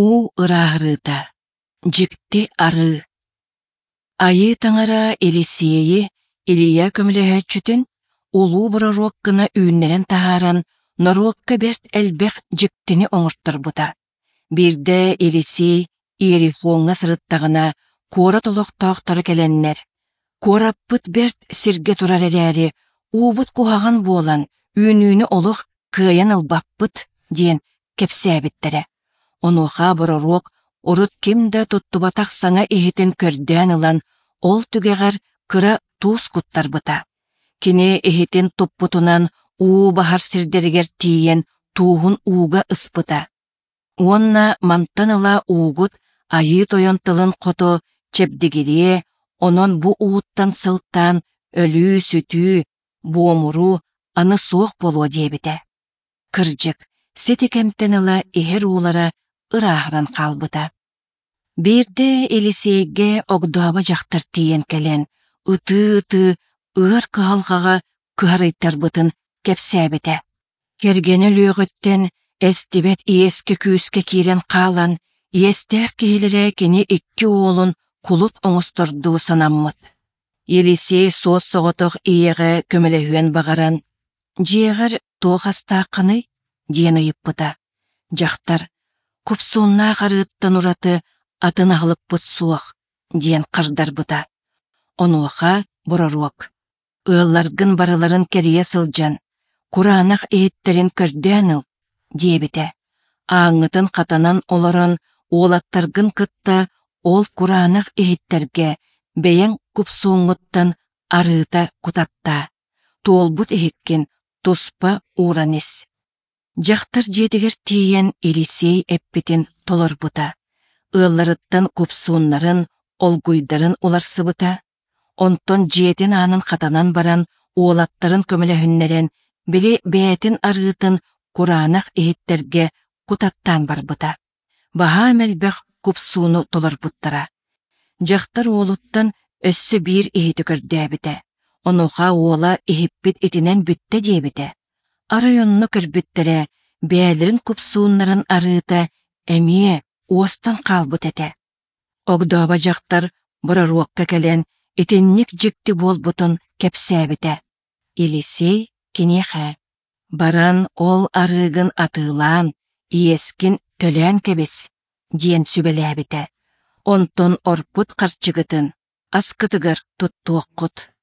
Уу ырааһырыыта, дьикти арыы. Айыы Таҥара Елисейи, Илия көмөлөһөөччүтүн, улуу бороруок гына үүннэрэн таһааран, норуокка бэрт элбэх дьиктини оҥорторбута. Биирдэ Елисей Иерихоҥҥа сырыттаҕына, куорат олохтоохторо кэлэннэр, «Куораппыт бэрт сиргэ турар эрээри, уубут куһаҕан буолан, үүнүүнү олох кыайан ылбаппыт» диэн кэпсээбиттэрэ. Онуоха бороруок урут ким да туттубатах саҥа иһитин көрдөөн ылан, ол түгэҕэр кыра туус куттарбыта. Кини иһитин туппутунан уу баһар сирдэригэр тиийэн тууһун ууга ыспыта. Уонна мантан ыла уугут Айыы Тойон тылын хоту чэбдигириэ, онон бу ууттан сылтаан өлүү-сүтүү, буомуруу аны суох буолуо диэбитэ. Кырдьык, сити кэмтэн ыла иһэр уулара ырааһыран хаалбыта. Биирдэ Елисейгэ огдообо дьахтар тиийэн кэлэн, ытыы-ытыы ыар кыһалҕаҕа кыһарыйтарбытын кэпсээбитэ. Кэргэнэ өлүөҕүттэн эстибэт иэскэ-күүскэ киирэн хаалан, иэстээх киһилэрэ кини икки уолун кулут оҥостордуу санаммыт. Елисей суос-соҕотох ийэҕэ көмөлөһүөн баҕаран, «Дьиэҕэр туох астааххыный?» диэн ыйыппыта. Дьахтар «Купсууннаах арыыттан ураты атын аһылыкпыт суох» диэн хардарбыта. Онуоха бороруок «Ыалларгын барыларын кэрийэ сылдьан, кураанах иһиттэрин көрдөөн ыл» диэбитэ. Ааҥҥытын хатанан олорон уолаттаргын кытта ол кураанах иһиттэргэ бэйэҥ купсууҥҥуттан арыыта кутаттаа, туолбут иһиккин туспа ууран ис. Дьахтар дьиэтигэр тиийэн Елисей эппитин толорбута. Ыалларыттан купсууннарын, олгуйдарын уларсыбыта. Онтон дьиэтин аанын хатанан баран уолаттарын көмөлөһүннэрэн, били бэйэтин арыытын кураанах иһиттэргэ кутаттаан барбыта. Баһаам элбэх купсууну толорбуттара. Дьахтар уолуттан өссө биир иһити көрдөөбүтэ. Онуоха уола иһиппит итинэн бүттэ диэбитэ. Арай онно көрбүттэрэ, бэйэлэрин купсууннарын арыыта эмиэ уостан хаалбыт этэ. Огдообо дьахтар бороруокка кэлэн итинник дьикти буолбутун кэпсээбитэ. Елисей киниэхэ: «Баран ол арыыгын атыылаан, иэскин төлөөн кэбис», диэн сүбэлээбитэ. Онтон орпут харчыгытын аскытыгар туттуоххут.